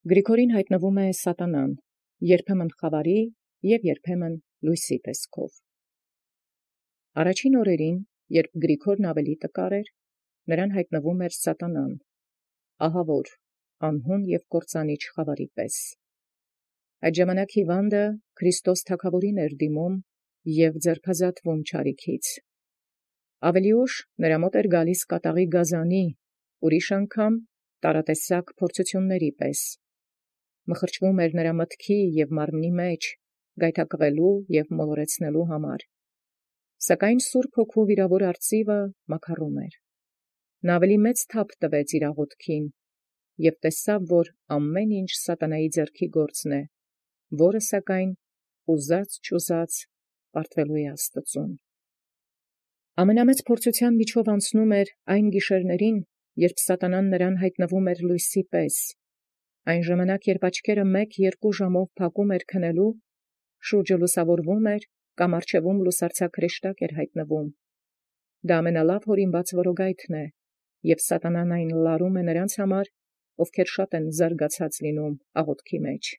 Գրիգորին հայտնվում է սատանան, երբեմն խավարի և երբեմն լույսի տեսքով։ Առաջին օրերին, երբ Գրիգորն ավելի տկար էր, նրան հայտնվում էր սատանան, ահավոր, անհուն և կործանիչ խավարի պես։ Այդ ժամանակ հիվանդը Քրիստոս թագաւորին էր դիմում և ձերբազատվում չարիքից։ Ավելի ուշ նրա մոտ էր գալիս կատաղի գազանի, ուրիշ անգամ տարատեսակ փորձությունների պես։ Մխրճվում էր նրա մտքի և մարմնի մեջ, գայթակղելու և մոլորեցնելու համար։ Սակայն Սուրբ Հոգու վիրավոր արծիվը մաքարում էր։ Նա ավելի մեծ թափ տվեց իր աղոթքին և տեսավ, որ ամեն ինչ սատանայի ձեռքի գործն է, որը սակայն ուզած պարտվելու է Աստծուն։ Ամենամեծ փորձութեան միջով անցնում էր այն գիշերներին, երբ սատանան նրան հայտնվում էր լույսի պես։ Այն ժամանակ, երբ աչքերը 1-2 ժամով փակում էր քնելու, շուրջը լուսավորվում էր կամ առջևում լուսարձակ հրեշտակ էր հայտնվում։ Դա ամենալավ հորինված որոգայթն է, և սատանան այն լարում է նրանց համար, ովքեր շատ են զարգացած լինում աղոթքի մեջ։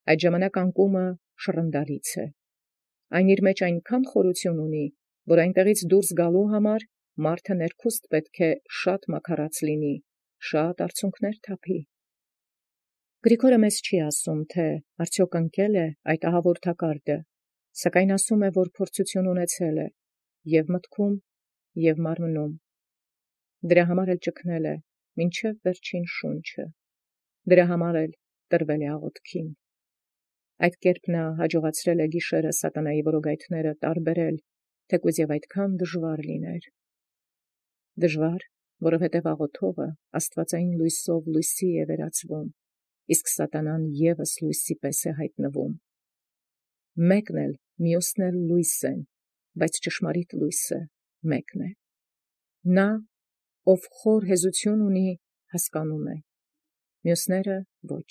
Այդ ժամանակ անկումը շռնդալից է։ Այն իր մեջ այնքան խորություն ունի, որ այնտեղից դուրս գալու համար մարդը ներքուստ պետք է շատ մաքարած լինի, շատ արցունքներ թափի։ Գրիգորը մեզ չի ասում, թե արդյոք ընկել է այդ ահավոր թակարդը, սակայն ասում է, որ փորձություն ունեցել է և մտքում և մարմնում։ Դրա համար էլ ճգնել է մինչև վերջին շունչը։ Դրա համար էլ տրվել է աղոթքին։ Այդ կերպ նա հաջողացրել է գիշերը սատանայի որոգայթները տարբերել, թեկուզ և այդքան դժվար լիներ։ Դժվար, որովհետև աղոթողը աստվածային լույսով լույսի է վերածվում, իսկ սատանան ևս լույսի պես է հայտնվում։ Մեկն էլ մյուսն էլ լույս են, բայց ճշմարիտ լույսը մեկն է։ Նա, ով խոր հեզություն ունի, հասկանում է, մյուսները ոչ։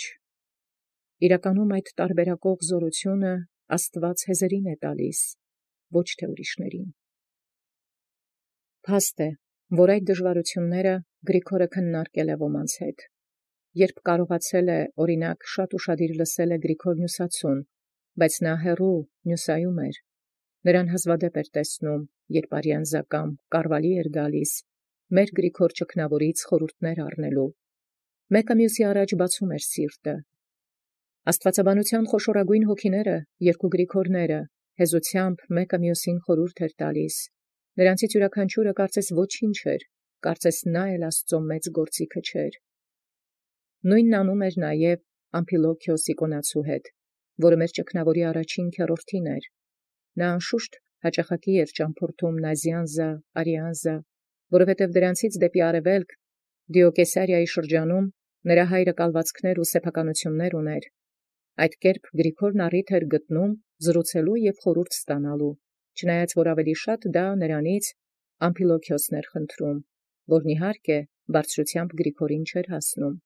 Իրականում այդ տարբերակող զորությունը Աստված հեզերին է տալիս, ոչ թե ուրիշներին։ Փաստ է, որ այդ դժվարությունները Գրիգորը քննարկել է ոմանց հետ։ Երբ կարողացել է, օրինակ, շատ ուշադիր լսել է Գրիգոր Նյուսացուն, բայց նա հեռու նյուսայում էր, նրան հազվադեպ էր տեսնում, երբ արյանզակամ կարվալի էր գալիս, մեր Գրիգոր ճգնավորից խորհուրդներ առնելու։ Մեկը մյուսի առաջ բացում էր սիրտը։ Աստվածաբանության խոշորագույն հոգիները, երկու Գրիգորները, հեզությամբ մեկը մյուսին խորհուրդ էր տալիս։ Նրանցից յուրաքանչյուրը կարծես ոչինչ էր, կարծես նա էլ Աստծո մեծ գործիքը չէր։ Նույնն անում էր նաև Ամփիլոքիոս Իկոնացու հետ, որը մեր ճգնավորի առաջին քեռորդին էր։ Նա անշուշտ հաճախակի էր ճամփորդում Նազյանզա, Արիանզա, որովհետև դրանցից դեպի արևելք Դիոկեսարիայի շրջանում նրա հայրը կալվածքներ ու սեփականություններ ուներ։ Այդ կերպ Գրիգորն առիթ էր գտնում զրուցելու և խորհուրդ ստանալու, չնայած որ ավելի շատ դա նրանից Ամփիլոքիոսն էր խնդրում, որն իհարկե բարձրությամբ Գրիգորին չէր հասնում։